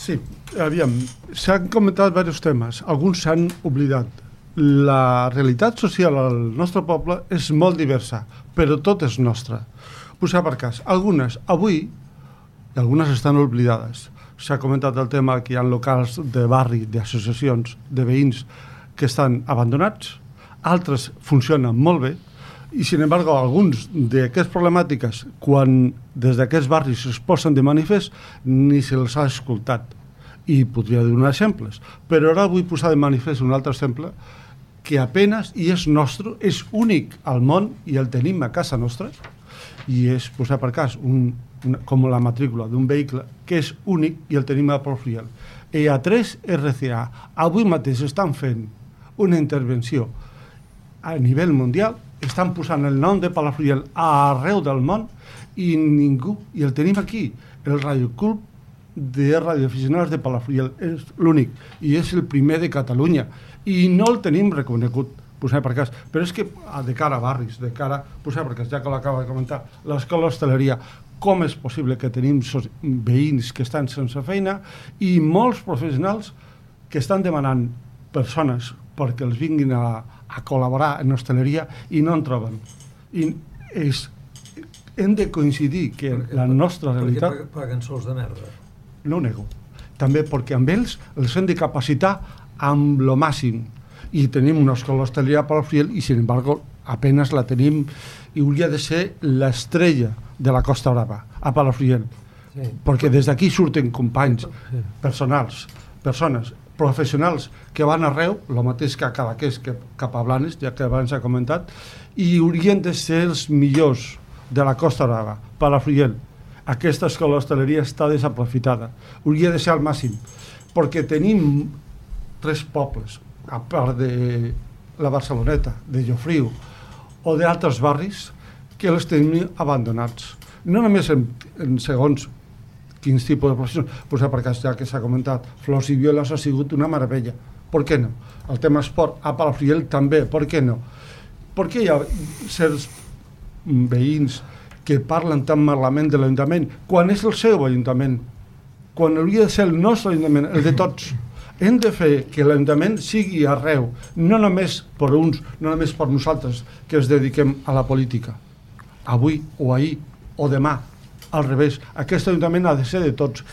Sí, aviam, s'han comentat diversos temes, alguns s'han oblidat. La realitat social al nostre poble és molt diversa, però tot és nostra. Posar per cas, algunes avui, i algunes estan oblidades. S'ha comentat el tema que hi ha locals de barri, d'associacions, de veïns que estan abandonats, altres funcionen molt bé, i sin embargo alguns d'aquestes problemàtiques, quan des d'aquests barris es posen de manifest, ni se'ls ha escoltat. I podria donar exemples, però ara vull posar de manifest un altre exemple que apenas, i és nostre, és únic al món i el tenim a casa nostra, i és posar per cas com la matrícula d'un vehicle que és únic i el tenim a Palafrugell. I a 3 RCA avui mateix estan fent una intervenció a nivell mundial, estan posant el nom de Palafrugell arreu del món i ningú, i el tenim aquí, el Radioclub de radioaficionats de Palafrugell, és l'únic i és el primer de Catalunya i no el tenim reconegut, posar per cas, però és que de cara a barris, de cara, posar per cas, ja que l'acaba de comentar, l'escola d'hostaleria, com és possible que tenim veïns que estan sense feina i molts professionals que estan demanant persones perquè els vinguin a col·laborar en hostaleria i no en troben. I hem de coincidir que la nostra realitat... Perquè paguen sols de merda. No ho nego. També perquè amb ells els hem de capacitar amb lo màxim. I tenim una escola d'hostaleria a Palafrugell i, sin embargo, apenas la tenim i hauria de ser l'estrella de la Costa Brava, a Palafrugell. Sí. Perquè des d'aquí surten companys, persones professionals que van arreu, el mateix que a Cadaqués, que cap a Blanes, ja que abans s'ha comentat, i haurien de ser els millors de la Costa Brava, Palafrugell. Aquesta escola d'hostaleria està desaprofitada. Hauria de ser al màxim, perquè tenim 3 pobles, a part de la Barceloneta, de Llofriu o d'altres barris, que els tenim abandonats. No només en segons quins tipus de professions, però per cas, ja que s'ha comentat, Flors i Violes ha sigut una meravella. Per què no? El tema esport a Palafrugell també, per què no? Per què hi ha certs veïns que parlen tan malament de l'Ajuntament quan és el seu Ajuntament, quan hauria de ser el nostre Ajuntament, el de tots? Hem de fer que l'Ajuntament sigui arreu, no només per uns, no només per nosaltres que ens dediquem a la política. Avui o ahir o demà, al revés, aquest Ajuntament ha de ser de tots